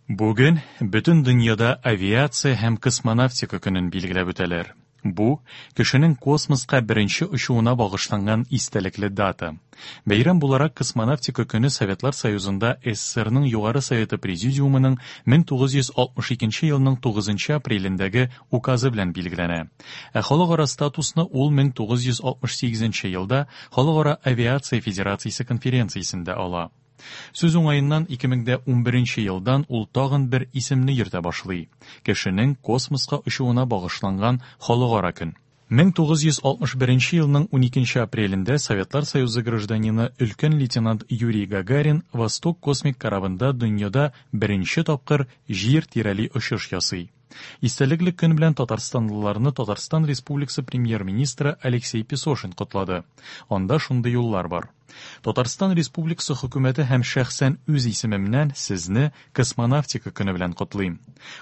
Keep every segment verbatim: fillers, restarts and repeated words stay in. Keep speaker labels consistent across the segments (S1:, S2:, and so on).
S1: Бүген бөтен дөньяда авиация һәм космонавтика көнен билгеләп үтәләр. Бу кешенең космоска беренче очуына багышланган истәлекле дата. Бәйрәм буларак космонавтика көне Советлар Союзында СССРның Югары Советы Президиумының мең тугыз йөз алтмыш икенче елның тугызынчы апрелендәге указы белән билгеләнә. Ә халыкара статусны ул мең тугыз йөз алтмыш сигезенче елда Халыкара авиация федерациясе конференциясендә ала. Сүз уңаеннан ике мең дә унберенче елдан ул тагын бер исемне йөртә башлый. Кешенең космоска очуына багышланган халыкара көн. Мең тугыз йөз алтмыш беренче елның уникенче апрелендә Советлар Союзы гражданины өлкән лейтенант Юрий Гагарин Восток космик корабында дөньяда беренче тапкыр җир тирәли очыш ясый. Истәлекле көн белән татарстанлыларны Татарстан Республикасы премьер-министры Алексей Песошин котлады. Анда шундый юллар бар. Татарстан Республикасы хөкүмәте һәм шәхсән үз исемемнән сезне космонавтика көне белән котлыйм.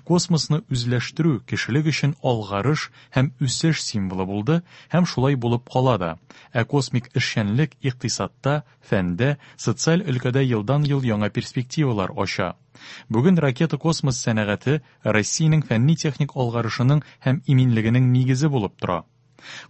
S1: Космосны үзләштерү кешелек өчен алгарыш һәм үсеш символы булды һәм шулай булып кала да. Ә космик эшчәнлек икътисадта, фәндә, социаль өлкәдә елдан-ел яңа перспективалар ача. Бүген ракета космос сәнәгате Россиянең фәнни-техник алгарышының һәм иминлегенең нигезе булып тора.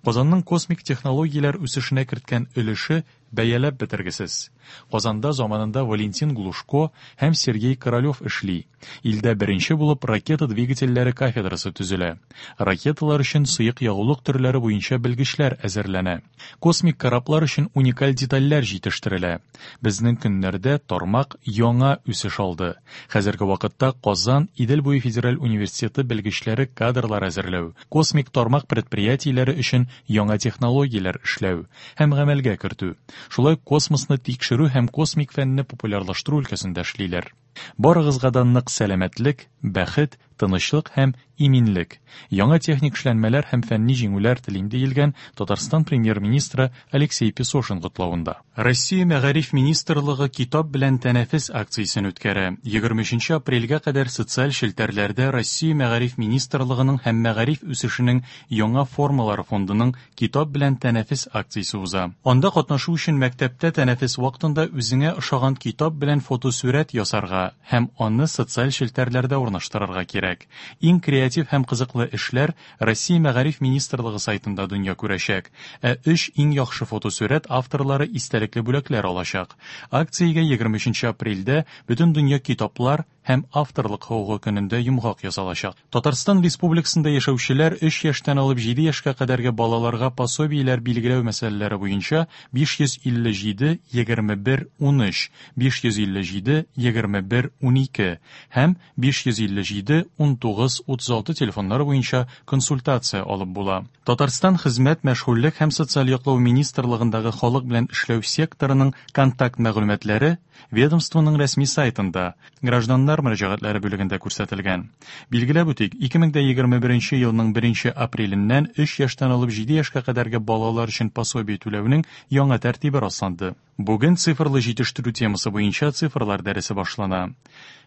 S1: Казанның космик технологияләр үсешенә керткән өлеше бәяләп бетергесез. Казанда заманында Валентин Глушко һәм Сергей Королёв эшли. Илдә беренче булып ракета двигательләре кафедрасы төзелә. Ракеталар өчен сыек ягулык төрләре буенча белгечләр әзерләнә. Космик кораблар өчен уникаль детальләр җитештерелә. Безнең көннәрдә тармак яңа үсеш алды. Хәзерге вакытта Казан Идел буе федераль университеты белгечләре кадрлар әзерләү, космик тармак предприятиеләре өчен яңа технологияләр эшләү һәм гамәлгә кертү, шулай космосны тикшерү һәм космик фәнне популярлаштыру өлкәсендә эшлиләр. Барыгызга да нык сәламәтлек, бәхет, тынычлык һәм иминлек, яңа техник эшләнмәләр һәм фәнни җиңүләр телим диелгән Татарстан премьер-министры Алексей Песошин котлавында. Россия Мәгариф министрлыгы китап белән тәнәфес акциясен үткәрә. Егерме өченче апрельгә кадәр социаль челтәрләрдә Россия Мәгариф министрлыгының һәм мәгариф үсешенең яңа формалары фондының китап белән тәнәфес акциясе уза. Анда катнашу өчен мәктәптә тәнәфес вакытында үзеңә ошаган китап белән фотосурәт ясарга һәм аны социаль челтәрләрдә урнаштырырга кирәк. Иң креатив һәм кызыклы эшләр Россия Мәгариф министрлыгы сайтында дөнья күрәчәк. Ә өч иң яхшы фотосурәт авторлары истәлекле бүләкләр алачак. Акциягә егерме өченче апрельдә бөтен дөнья китаплар һәм авторлык хокукы көнендә йомгак ясалачак. Татарстан Республикасында яшәүчеләр өч яшьтән алып җиде яшькә кадәрге балаларга пособиеләр билгеләү мәсьәләләре буенча биш йөз илле җиде, егерме бер, унөч, биш йөз илле җиде, егерме бер, унике һәм биш йөз илле җиде, унтугыз, утыз алты телефоннары буенча консультация алып була. Татарстан Хезмәт, мәшгульлек һәм социаль яклау министрлыгындагы халык белән эшләү секторының контакт мәгълүматлары ведомствоның рәсми сайтында гражданнар мөрәҗәгатьләре бүлегендә күрсәтелгән. Билгеләп үтик, ике мең дә егерме беренче елның беренче апреленнән өч яшьтән алып җиде яшькә кадәрге балалар өчен пособие түләүнең яңа тәртибе расланды. Бүген цифрлы җитештерү темасы буенча цифрлар дәресе башлана.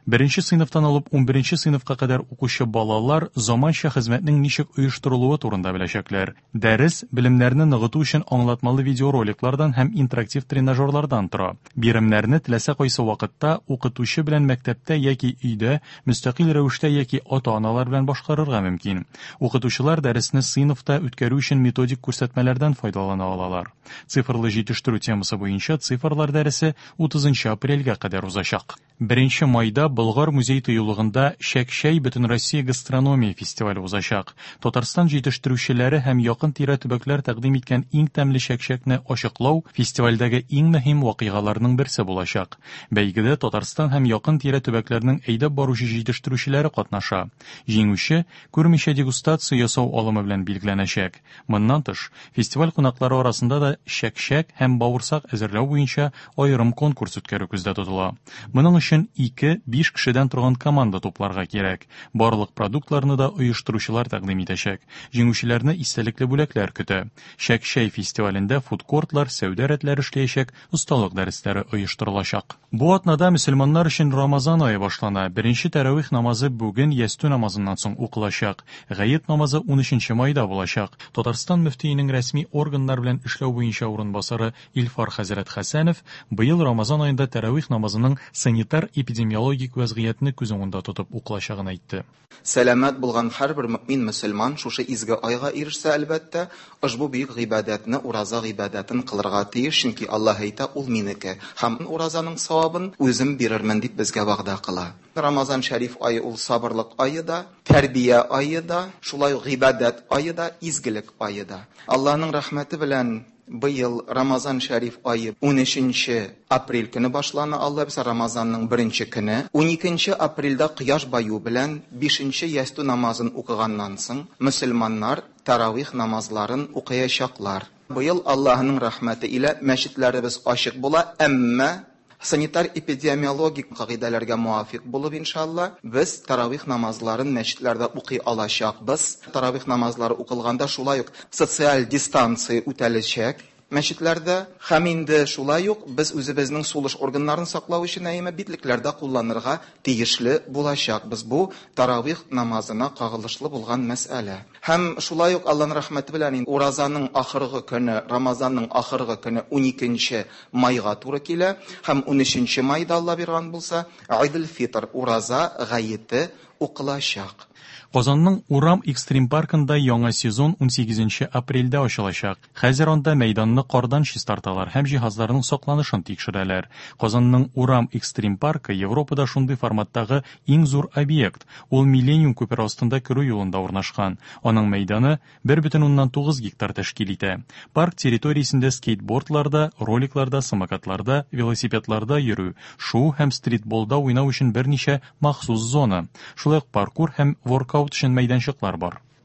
S1: Беренче сыйныфтан алып унберенче сыйныфка кадәр укучы балалар заманча хезмәтнең ничек оештырылуы турында беләчәкләр. Дәрес белемнәрне ныгыту өчен аңлатмалы видеороликлардан һәм интерактив тренажерлардан тора. Биремнәрне теләсә кайсы вакытта укытучы белән мәктәптә яки өйдә, мөстәкыйль рәвештә яки ата-аналар белән башкарырга мөмкин. Укытучылар дәресне сыйныфта үткәрү өчен методик күрсәтмәләрдән файдалана алалар. Цифрлы җитештерү темасы буенча цифрлар дәресе утызынчы апрельгә кадәр узачак. Беренче майда Болгар музей тыюлыгында Чәк-чәй Бөтенроссия гастрономия фестивале узачак. Татарстан җитештерүчеләре һәм якын тирә төбәкләр тәкъдим иткән иң тәмле чәк-чәкне ачыклау фестивальдәге иң мөһим вакыйгаларның берсе булачак. Бәйгедә Татарстан һәм якын тирә төбәкләрнең әйдәп баручы җитештерүчеләре катнаша. Җиңүче күрмичә дегустация ясау алымы белән билгеләнәчәк. Моннан тыш, фестиваль кунаклары арасында да чәк-чәк һәм бавырсак әзерләү буенча аерым конкурс үткәрү күздә тотыла. Моның өчен ике, биш кешедән торган команда тупларга кирәк. Барлык продуктларны да оештыручылар тәкъдим итәчәк. Җиңүчеләрне истәлекле бүләкләр көтә. Чәк-чәй фестивалендә фудкортлар, сәүдә рәтләре эшләячәк, осталык дәресләре оештырылачак. Бу атнада мөселманнар өчен Рамазан ае башлана. Беренче тәравих намазы бүген ястү намазыннан соң укылачак. Гает намазы унөченче майда булачак. Татарстан мөфтиенең рәсми органнар белән эшләү буенча урынбасары Илфар хәзрәт Хәсәнов быел Рамазан аенда тәравих намазының санитар санитар-эпидемиологик вәзгыятьне күз уңында тотып укылачагын әйтте.
S2: Сәламәт булган һәрбер мөэмин мөселман шушы изге айга ирешсә, әлбәттә, ошбу бөек гыйбадәтне, ураза гыйбадәтен кылырга тиеш, чөнки Аллаһ әйтә, ул минеке һәм уразаның савабын үзем бирермен дип безгә вәгъдә кыла. Рамазан шәриф ае ул сабырлык ае да, тәрбия ае да, шулай ук гыйбадәт ае да, изгелек ае да. Аллаһның рәхмәте белән быел Рамазан шәриф ае унөченче апрель көне башлана, Алла бирсә, Рамазанның беренче көне. Уникенче апрельдә кояш баю белән бишенче ястү намазын укыганнан соң мөселманнар таравих намазларын укыячаклар. Быел Аллаһның рәхмәте илә мәчетләребез ачык була, әмма санитар-эпидемиологик кагыйдәләргә муафиқ булып, иншалла, без таравих намазларын мәчетләрдә укый алачакбыз. Таравих намазлары укылганда шулай ук социаль дистанция үтәләчәк мәчетләрдә. Һәм инде шулай ук без үзебезнең сулыш органнарын саклау өчен әйме битлекләрдә кулланырга тиешле булачакбыз. Бу таравих намазына кагылышлы булган мәсьәлә. Һәм шулай ук Аллаһның рәхмәте белән инде уразаның ахыргы көне, Рамазанның ахыргы көне уникенче майга туры килә һәм унөченче майда Алла биргән булса, Айдел-Фитр ураза гаете укылачак.
S1: Казанның Урам экстрим паркында яңа сезон унсигезенче апрельдә ачылачак. Хәзер анда мәйданны кардан чистарталар һәм җиһазларның сакланышын тикшерәләр. Казанның Урам экстрим паркы Европада шундый форматтагы иң зур объект. Ул Миллениум күпере астында керү юлында урнашкан. Аның мәйданы бер бөтен уннан тугыз гектар тәшкил итә. Парк территориясендә скейтбордларда, роликларда, самокатларда, велосипедларда йөрү, шуу һәм стритболда уйнау өчен берничә махсус зона, шулай ук паркур һәм воркаут өчен мәйданчыклар бар.